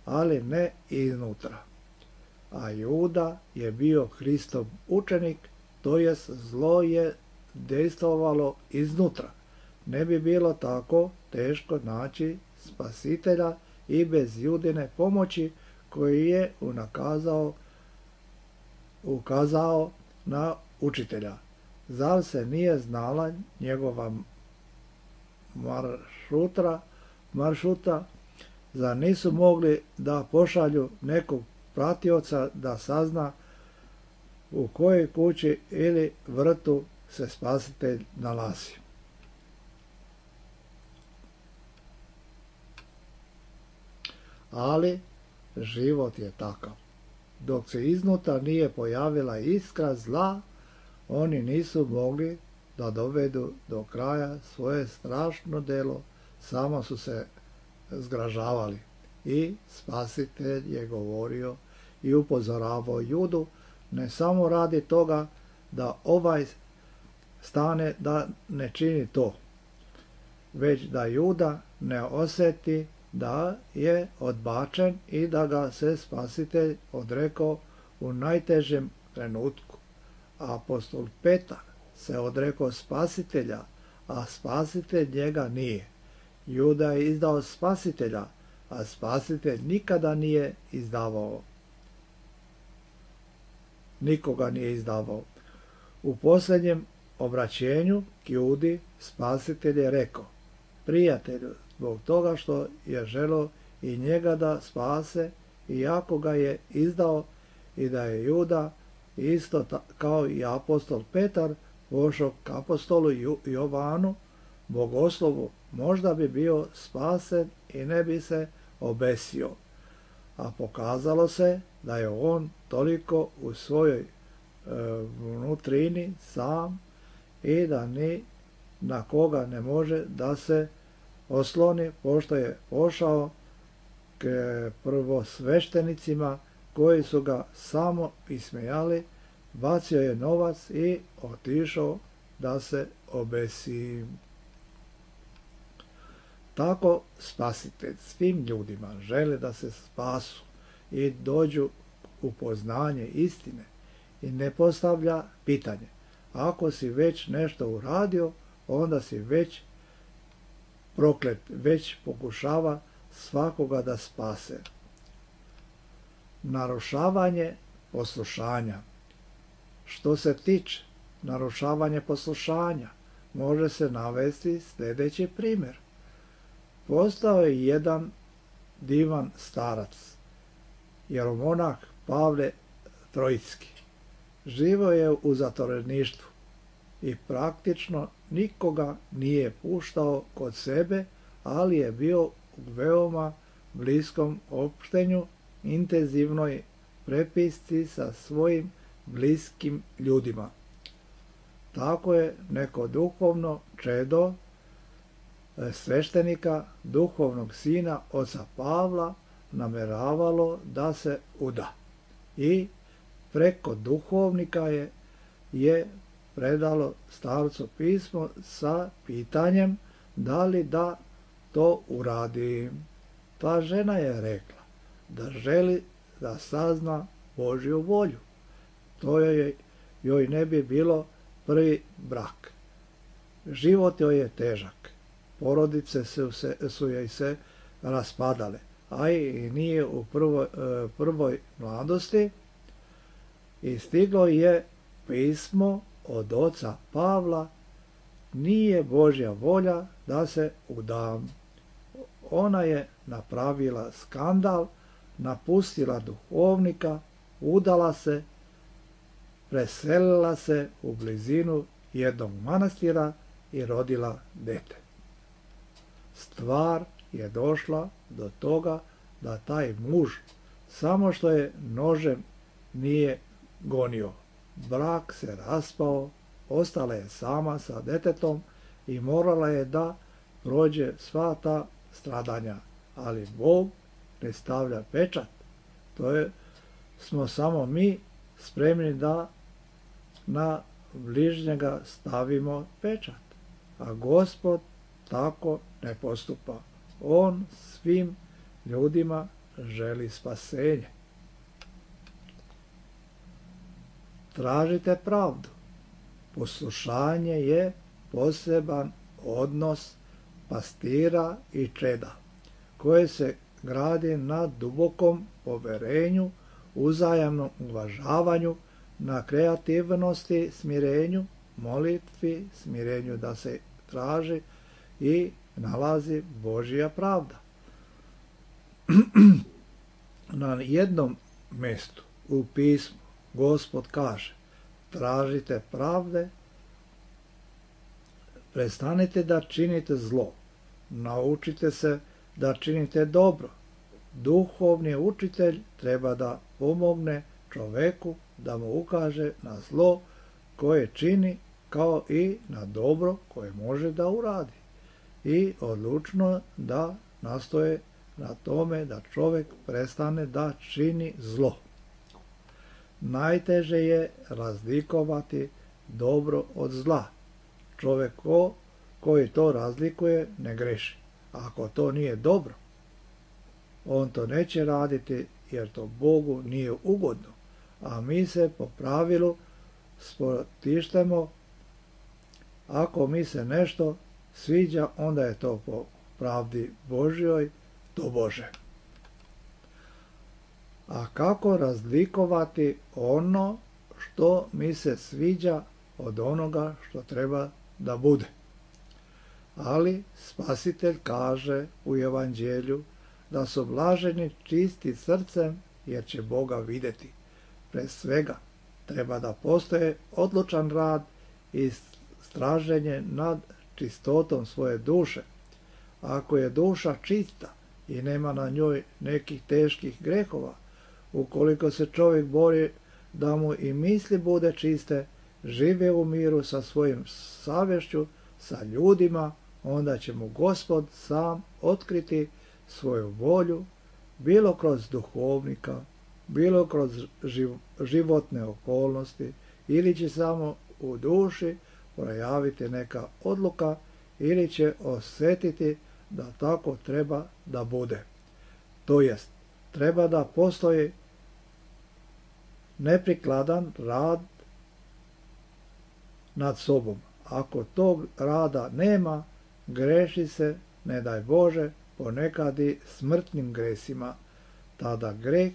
ali ne iznutra. A Juda je bio Hristov učenik, to jest zlo je dejstvovalo iznutra. Ne bi bilo tako teško naći Spasitelja i bez Judine pomoći koji je unakazao, ukazao na učitelja. Zar se nije znala njegova maršutra, maršuta, zar nisu mogli da pošalju nekog pratioca da sazna u kojoj kući ili vrtu se Spasitelj nalazi. Ali život je takav. Dok se iznutra nije pojavila iskra zla, oni nisu mogli da dovedu do kraja svoje strašno delo, samo su se zgražavali. I Spasitelj je govorio i upozoravao Judu, ne samo radi toga da ovaj stane da ne čini to, već da Juda ne osjeti da je odbačen i da ga se Spasitelj odrekao u najtežem trenutku. Apostol Petar se odrekao Spasitelja, a Spasitelj njega nije. Juda je izdao Spasitelja, a Spasitelj nikada nije izdavao. Nikoga nije izdavao. U posljednjem obraćenju k Judi Spasitelj je rekao, prijatelju, zbog toga što je želeo i njega da spase, iako ga je izdao, i da je Juda isto kao i apostol Petar pošao k apostolu Jovanu, bogoslovu, možda bi bio spasen i ne bi se obesio. A pokazalo se da je on toliko u svojoj e, vnutrini sam i da ni na koga ne može da se osloni, pošto je pošao k prvosveštenicima koji su ga samo ismejali, bacio je novac i otišao da se obesi. Tako Spasitelj svim ljudima želi da se spasu i dođu u poznanje istine i ne postavlja pitanje. Ako si već nešto uradio, onda si već proklet, već pokušava svakoga da spase. Narušavanje poslušanja. Što se tiče narušavanja poslušanja, može se navesti sljedeći primjer. Postao je jedan divan starac, jeromonah Pavle Trojski. Živo je u zatvoreništvu i praktično nikoga nije puštao kod sebe, ali je bio u veoma bliskom opštenju, intenzivnoj prepisci sa svojim bliskim ljudima. Tako je neko duhovno čedo sveštenika, duhovnog sina oca Pavla, nameravalo da se uda. I preko duhovnika je, je predalo starcu pismo sa pitanjem da li da to uradi. Ta žena je rekla da želi da sazna Božju volju. To joj, joj ne bi bilo prvi brak. Život joj je težak. Porodice su, se, su joj se raspadale, a i nije u prvoj, prvoj mladosti. I stiglo je pismo od oca Pavla nije Božja volja da se udam. Ona je napravila skandal, napustila duhovnika, udala se, preselila se u blizinu jednog manastira i rodila dete. Stvar je došla do toga da taj muž samo što je nožem nije gonio. Brak se raspao, ostala je sama sa detetom i morala je da prođe sva ta stradanja. Ali Bog ne stavlja pečat. To je, smo samo mi spremni da na bližnjega stavimo pečat. A Gospod tako ne postupa. On svim ljudima želi spasenje. Tražite pravdu. Poslušanje je poseban odnos pastira i čeda, koje se gradi na dubokom poverenju, uzajamnom uvažavanju, na kreativnosti, smirenju, molitvi, smirenju da se traži i nalazi Božja pravda. Na jednom mjestu u pismu Gospod kaže: tražite pravde, prestanite da činite zlo, naučite se da činite dobro. Duhovni učitelj treba da pomogne čoveku da mu ukaže na zlo koje čini, kao i na dobro koje može da uradi, i odlučno da nastoje na tome da čovjek prestane da čini zlo. Najteže je razlikovati dobro od zla. Čovjek ko, koji to razlikuje ne greši. Ako to nije dobro, on to neće raditi jer to Bogu nije ugodno. A mi se po pravilu spotištemo, ako mi se nešto sviđa, onda je to po pravdi Božjoj, to Bože. A kako razlikovati ono što mi se sviđa od onoga što treba da bude? Ali Spasitelj kaže u Evanđelju da su blaženi čisti srcem, jer će Boga vidjeti. Pre svega treba da postoje odlučan rad i straženje nad čistotom svoje duše. Ako je duša čista i nema na njoj nekih teških grehova, ukoliko se čovjek bori da mu i misli bude čiste, žive u miru sa svojim savješću, sa ljudima, onda će mu Gospod sam otkriti svoju volju, bilo kroz duhovnika, bilo kroz životne okolnosti, ili će samo u duši projaviti neka odluka, ili će osjetiti da tako treba da bude. To jest, treba da postoji neprikladan rad nad sobom. Ako tog rada nema, greši se, ne daj Bože, ponekad i smrtnim gresima. Tada greh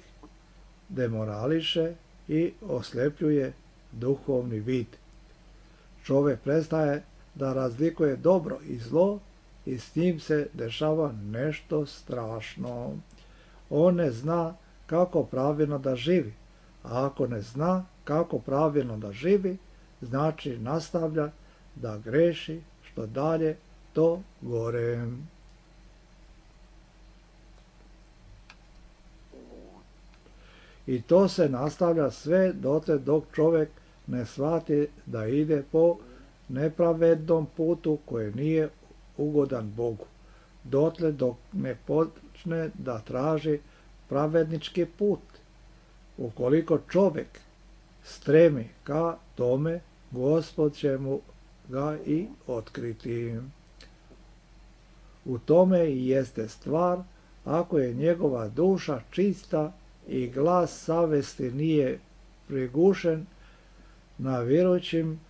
demorališe i oslepljuje duhovni vid. Čovjek prestaje da razlikuje dobro i zlo i s njim se dešava nešto strašno. On ne zna kako pravilno da živi, a ako ne zna kako pravilno da živi, znači nastavlja da greši, što dalje to gore. I to se nastavlja sve dotle dok čovjek ne shvati da ide po nepravednom putu koji nije ugodan Bogu. Dotle dok ne počne da traži pravednički put. Ukoliko čovjek stremi ka tome, Gospod će mu ga i otkriti. U tome i jeste stvar, ako je njegova duša čista i glas savesti nije prigušen, na vjerujućim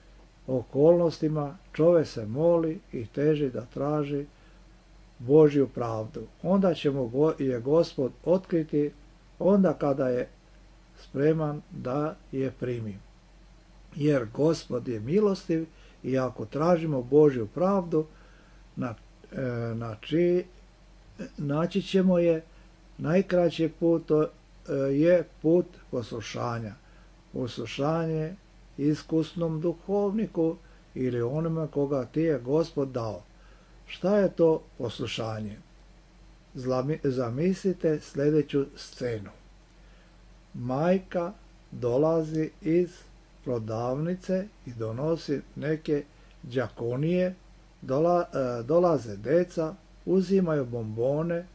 okolnostima čovjek se moli i teži da traži Božju pravdu. Onda će mu je Gospod otkriti, onda kada je spreman da je primi. Jer Gospod je milostiv i ako tražimo Božju pravdu, na, e, na či, naći ćemo je. Najkraći put to e, je put poslušanja. Poslušanje iskusnom duhovniku ili onome koga ti je Gospod dao. Šta je to poslušanje? Zamislite sljedeću scenu. Majka dolazi iz prodavnice i donosi neke đakonije, dola, e, dolaze deca, uzimaju bombone,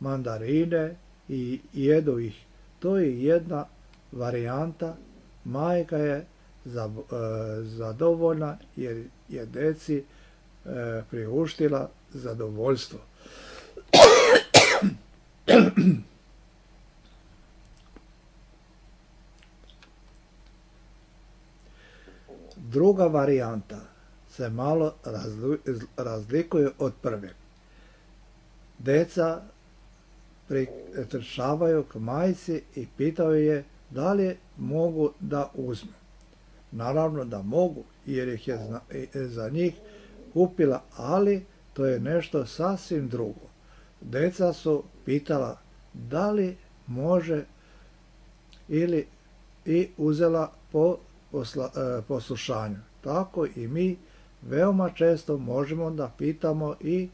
mandarine i jedu ih. To je jedna varijanta. Majka je za, e, zadovoljna jer je deci e, priuštila zadovoljstvo. Druga varijanta se malo razlikuje od prve. Deca pritrčavaju k majci i pitaju je da li mogu da uzmu. Naravno da mogu, jer ih je za njih kupila, ali to je nešto sasvim drugo. Deca su pitala da li može ili i uzela po posla, e, poslušanju. Tako i mi veoma često možemo da pitamo i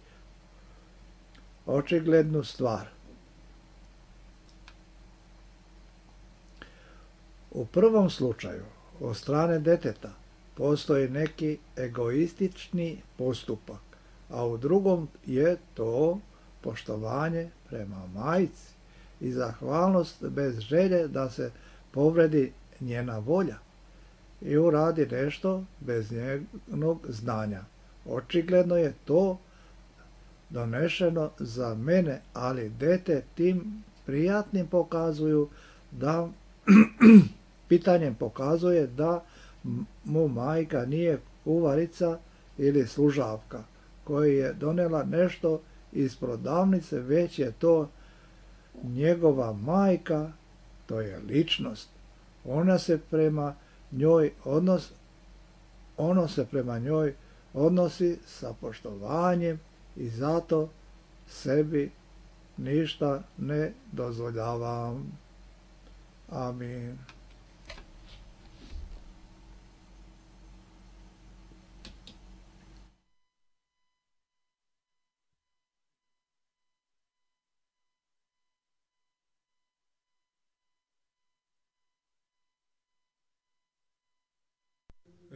očiglednu stvar. U prvom slučaju, od strane deteta, postoji neki egoistični postupak, a u drugom je to poštovanje prema majci i zahvalnost bez želje da se povredi njena volja i uradi nešto bez njenog znanja. Očigledno je to donešeno za mene, ali dete tim prijatnim pokazuju da pitanjem pokazuje da mu majka nije kuvarica ili služavka koja je donela nešto iz prodavnice, već je to njegova majka, to je ličnost. Ona se prema njoj odnos, ono se prema njoj odnosi sa poštovanjem i zato sebi ništa ne dozvoljavam. Amin.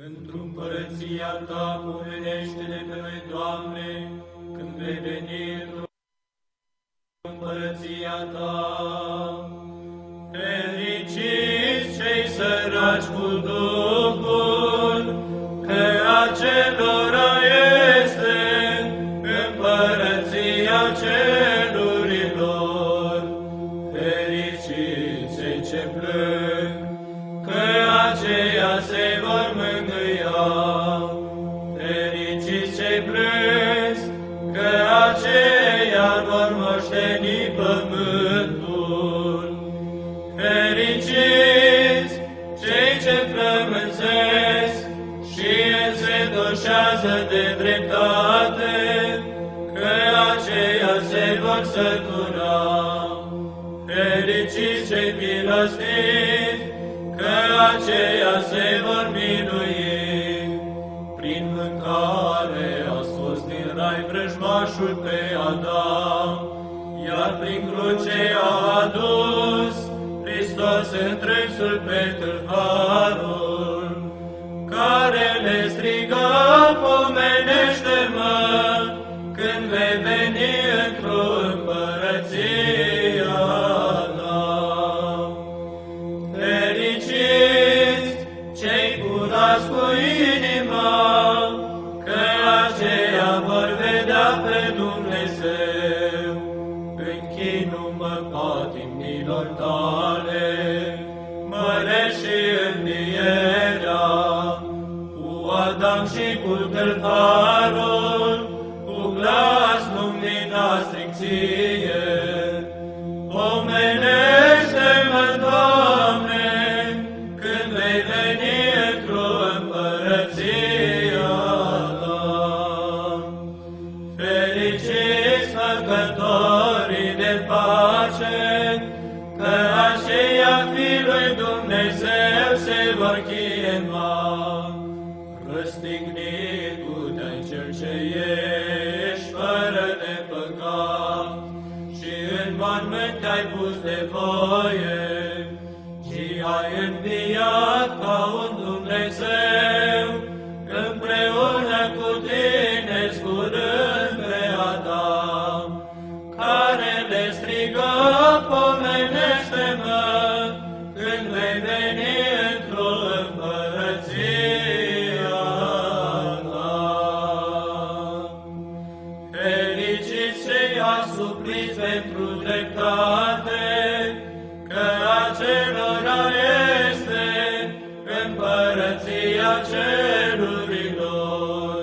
Într-o împărăția ta, pomenește-ne pe noi, Doamne, când vei veni într-o împărăția ta. Fericiți cei săraci cu Duhul, că acelora este împărăția cerurilor. Fericiți cei ce plâng, că aceia se vor mângâia. Fericiți cei plângi, că aceia vor moșteni pământul. Fericiți cei ce flămânzesc și însedoșează de dreptate, că aceia se vor sătura. Fericiți cei milostivi, că aceia se vor minui. Prin mâncare a scos din rai vrăjmașul pe Adam, iar prin cruce a adus Hristos întrânsul pe tâlharul, care le striga, pomenește-mă, când vei veni într-o împărăția ta. Fericiți cei curați cu inima, că aceia vor vedea pe Dumnezeu. Închină-mă patimnilor tale, mărești și învierea, cu Adam și cu tâlharul, cu glas luminastric ție. Pomenește-mă, Doamne, când vei veni într-o împărăția că aceia fi lui Dumnezeu se vor chema. Răstignit-te cel ce ești fără de păcat și în mormânt te-ai pus de voie și ai înviat ca un Dumnezeu împreună cu tine zburând pe Adam, care le strigă, pomenește-mă când vei veni într-o împărăția ta. Fericiți cei asupliți pentru dreptate, că acelora este împărăția cerurilor.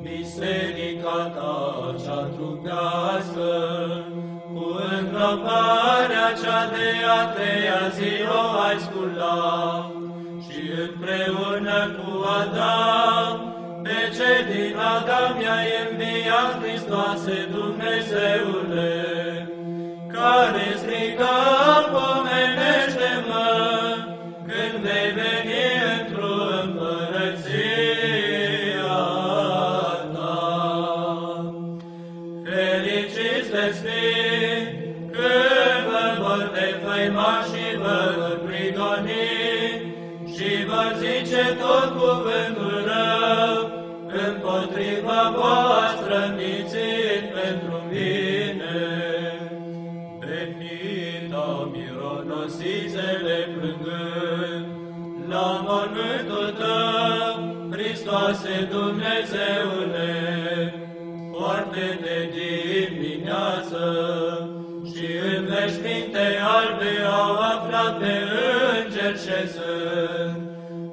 Biserica ta cea trupească, cu îngroparea cea de a treia zi o ai sculat, și împreună cu Adam, pe cei din Adam i-ai înviat, Hristoase Dumnezeule, care striga, pomenește-mă când vei veni într-o împărăția ta. Fericiți veți fi când vă vor defăima și vă vor prigoni și vor zice tot cuvântul rău împotriva voastră, mințit pentru mine. Venita mironosițele plângând la mormântul tău, Hristoase Dumnezeule, foarte de dimineață și în veșminte albe au aflat pe înger șezând,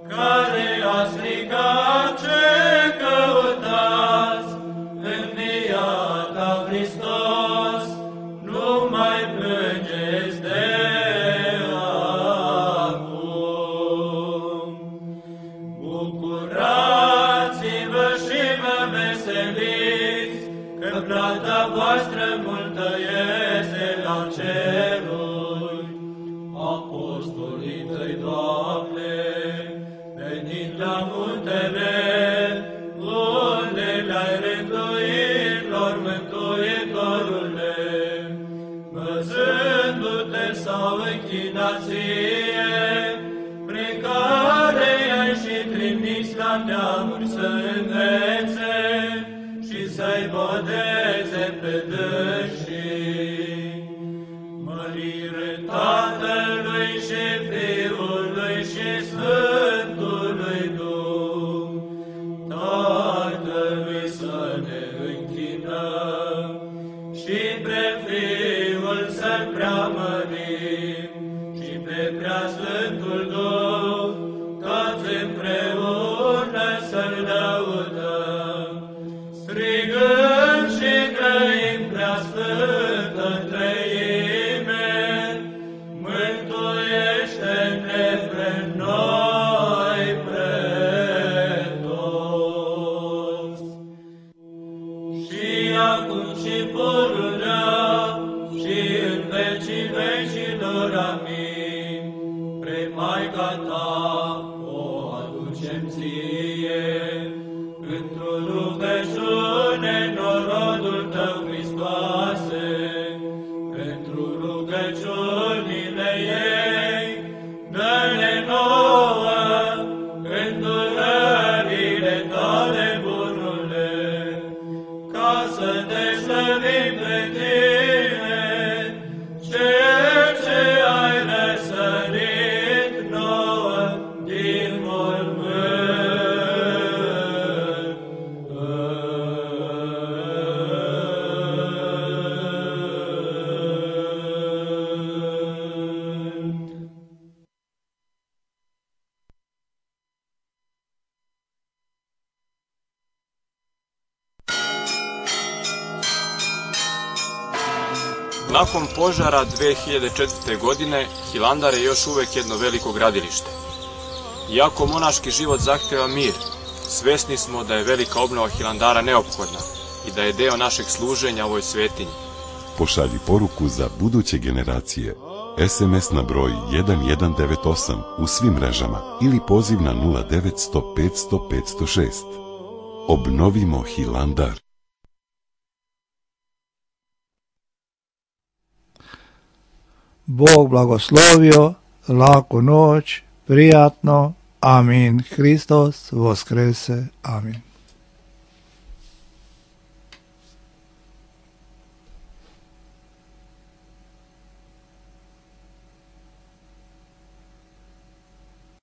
care a strigat, ce căutați, înviat-a Hristos, nu mai plângeți de acum. Bucurați-vă și vă veseliți, că plata voastră multă este la ceruri. Apostolii tăi, Doamne, venind la muntele, unde le-ai rânduit lor, Mântuitorule, văzându-te s-au închinat ție, prin care i-ai și trimis la neamuri să învețe și să-i bodeze pe dânsii. Mărire Tatălui și Fiului și Sfântului Duh, Tatălui să ne închinăm și pe Fiul să-L preamărim și pe Preasfântul Duh, toți împreună să-L lăudăm, strigând și grăim Preasfântă Treime, mântuiește-ne pe noi pretos. Și acum și pururea și în vecii vecilor, amin. Pre Maica ta o aducem ție, într-o rugăciune norodul tău, Hristoase, pentru rugăciunile ei, dă-ne nouă îndurările tale, bunule, ca să te slăvim pe tine, cel ce ai răsărit nouă din mormânt.
Nakon požara dve hiljade četvrte. godine, Hilandar je još uvek jedno veliko gradilište. Iako monaški život zahteva mir, svesni smo da je velika obnova Hilandara neophodna i da je deo našeg služenja ovoj svetinji.
Pošalji poruku za buduće generacije. es em es na broj jedan jedan devet osam u svim mrežama ili poziv na nula devet sto petsto petsto šest. Obnovimo Hilandar.
Bog blagoslovio, laku noć, prijatno, amin. Hristos voskrese, amin.